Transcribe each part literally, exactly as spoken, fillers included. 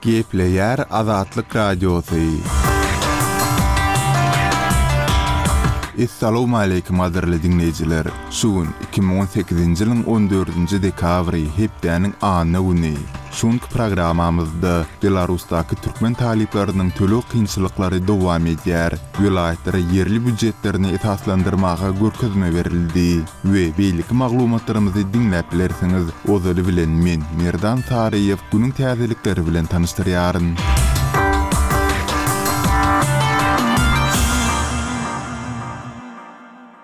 Gepleýär Azatlyk Radiosy. Essalawmaleýkim gadyrly diňleýjiler! Şu gün iki müň on sekizinji ýylyň on dördünji dekabry, hepdäniň anna güni. Şu günki programmamyzda Belarusdaky türkmen talyplarynyň töleg kynçylyklary dowam edýär, welaýatlara ýerli býujetlerini esaslandyrmaga görkezme berildi we beýleki maglumatlarymyzy diňläp bilersiňiz. Ozaly bilen men, Merdan Saryýew, günüň täzelikleri bilen tanyşdyrýaryn.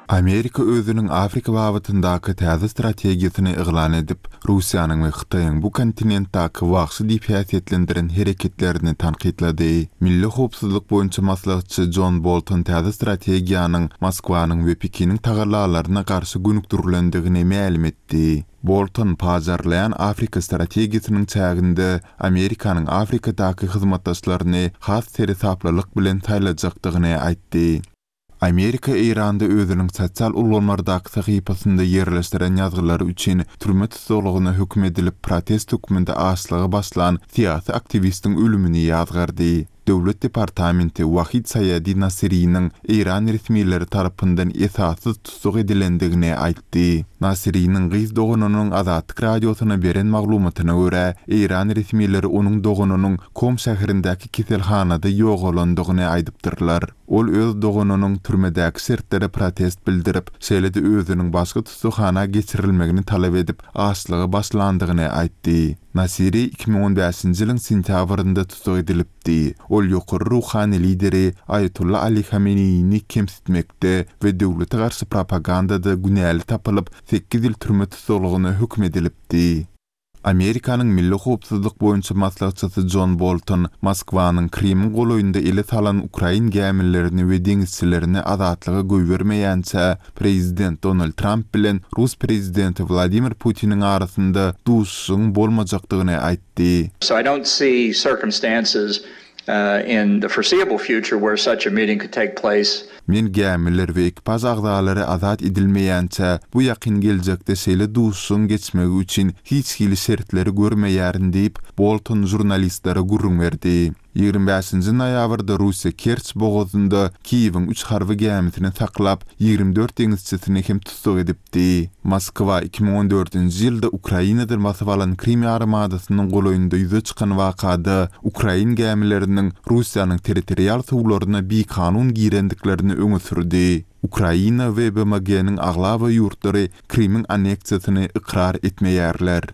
Amerika özüniň Afrika babatyndaky täze strategiýasyny yglan edip, Russiýanyň we Hytaýyň bu kontinentdäki wagşy diýip häsiýetlendiren hereketlerini tankytlady. Milli howpsuzlyk boýunça maslahatçy Jon Bolton täze strategiýanyň Moskwanyň we Pekiniň tagallalaryna garşy gönükdirilendigini mälim etdi. Bolton pajarlaýan Afrika strategiýasynyň çäginde Amerikanyň Afrikadaky hyzmatdaşlaryny has seresaplylyk bilen saýlajakdygyny aýtdy. Amerika Eýranda özüniň sosial ulgamlardaky sahypasynda ýerleşdiren ýazgylary üçin türme tussaglygyna höküm edilip, protest hökmünde açlyga başlan syýasy aktiwistiň ölümini ýazgardy. Döwlet departamenti Wahid Saýadi Nasiriniň Eýran resmileri tarapyndan esassyz tussag edilendigini aýtdy. Nasiriniň gyz doganynyň Azatlyk Radiosyna beren maglumatyna görä, Eýran resmileri onuň doganynyň Kom şäherindäki keselhanada ýogalandygyny aýdypdyrlar. Ol öz doganynyň türmedäki şertlere protest bildirip, şeýle-de özüniň başga tussaghana geçirilmegini talap edip, açlyga başlandygyny aýtdy. Nasiri iki müň on bäşinji ýylyň sentýabrynda tussag edilipdi. Ol ýokary ruhany lideri Aýatolla Ali Hameneýini kemsitmekde we döwlete garşy propagandada günäli tapylyp, sekiz ýyl türme tussaglygyna höküm edilipdi. Amerikanyň Milli howpsuzlyk boýunça maslahatçysy Jon Bolton Moskwanyň Krymyň golaýynda ele salan ukrain gämilerini we deňizçilerini azatlyga goýbermeýänçä prezident Donald Tramp bilen rus prezidenti Wladimir Putiniň arasynda duşuşygyň bolmajakdygyny aýtdy. So I don't see circumstances in the foreseeable future where such a meeting could take place. Men gämiler we ekipaž agzalary azat edilmeýänçä, bu ýakyn geljekde şeýle duşuşygyň geçmegi üçin hiç hili şertleri görmeýärin diýip, Bolton žurnalistlere gürrüň berdi. Ýigrimi bäşinji noýabrda Russiýa Kerç bogazynda Kiýewiň üç harby gämisini saklap, ýigrimi dört deňizçisini hem tussag edipdi. Moskwa iki müň on dördünji ýylda Ukrainadan basyp alan Krym ýarymadasynyň golaýynda ýüze çykan wakada ukrain gämileriniň Russiýanyň territorial suwlaryna bikanun girendiklerini öňe sürdi. Ukraina we B M G-niň aglaba ýurtlary Krymyň anneksiýasyny ykrar etmeýärler.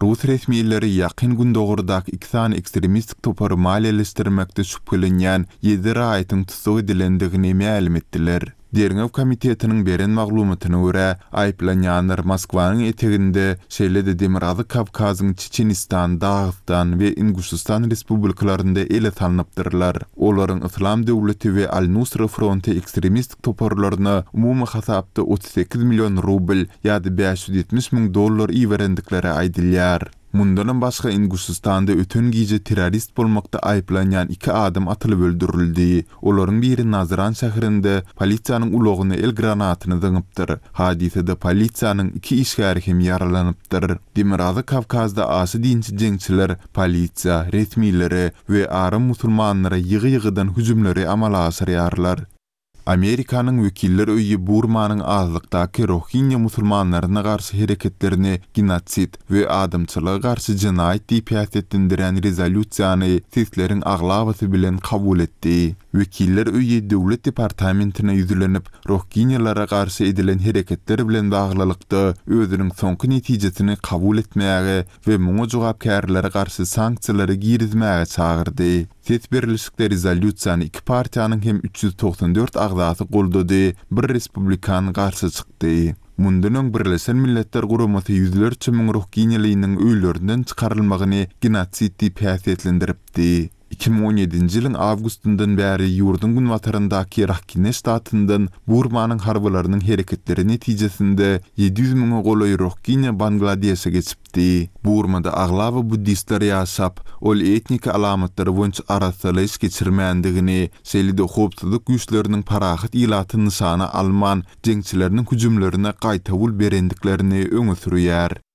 Rus resmileri Ýakyn Gündogardaky iki sany ekstremistik topary maliýeleşdirmekde şübhelenýän ýedi raýatyň tussag edilendigini mälim etdiler. Derňew komitetiniň beren maglumatyna görä, aýyplanýanlar Moskwanyň eteginde, şeýle-de Demirgazyk Kawkazyň Çeçenistan, Dagystan we Inguşystan respublikalarynda ele salnypdyrlar. Olaryň Yslam döwleti we Al-Nusra fronty ekstremistik toparlaryna umumy hasapda otuz sekiz million rubl ýa-da bäş ýüz ýetmiş müň dollar iberendikleri aýdylýar. Mundanam başga Inguşystanda öten gije terrorist bolmakda aýyplanýan iki adam atylyp öldürildi. Olaryň biri Nazran şäherinde polisiýanyň ulagyna el granatyny zyňypdyr. Hadysada polisiýanyň iki işgäri hem ýaralanypdyr. Demirgazyk Kawkazda aşa dinçi jeňçiler polisiýa, resmilere we aram musulmanlara ýygy-ýygydan hüjümleri amala aşyrýarlar. Amerikanyň wekiller öýi Burmanyň azlykdaky Rohingya musulmanlaryna garşy hereketlerini genosid we adamçylyga garşy jenaýat diýip häsiýetlendirýän rezolýusiýany sesleriň aglabasy bilen kabul etdi. Wekiller öýi Döwlet departamentine ýüzlenip, Rohingyalara garşy edilen hereketler bilen baglylykda özüniň soňky netijesini kabul etmäge we muňa jogapkärlere garşy sanksiýalary girizmäge çagyrdy. Ses berilişikde rezolýusiýany iki partiýanyň hem üç ýüz togsan dört agzasy goldady, bir respublikan garşy çykdy. Mundan öň Birleşen Milletler Guramasy ýüzlerçe müň rohingýalynyň öýlerinden çykarylmagyny genosid diýip häsiýetlendiripdi. Iki müň on ýedinji ýylyň awgustyndan bäri ýurduň günbataryndaky Rakhine ştatyndan Burmanyň harbylarynyň hereketleri netijesinde ýedi ýüz müňe golaý rohingýa Bangladeşe geçipdi. Burmada aglaba buddistler ýaşap, ol etnik alamatlary boýunça arassalaýyş geçirmändigini, şeýle-de howpsuzlyk güýçleriniň parahat ilaty nyşana alman, jeňçileriniň hüjümlerine gaýtawul berendiklerini öňe sürýär.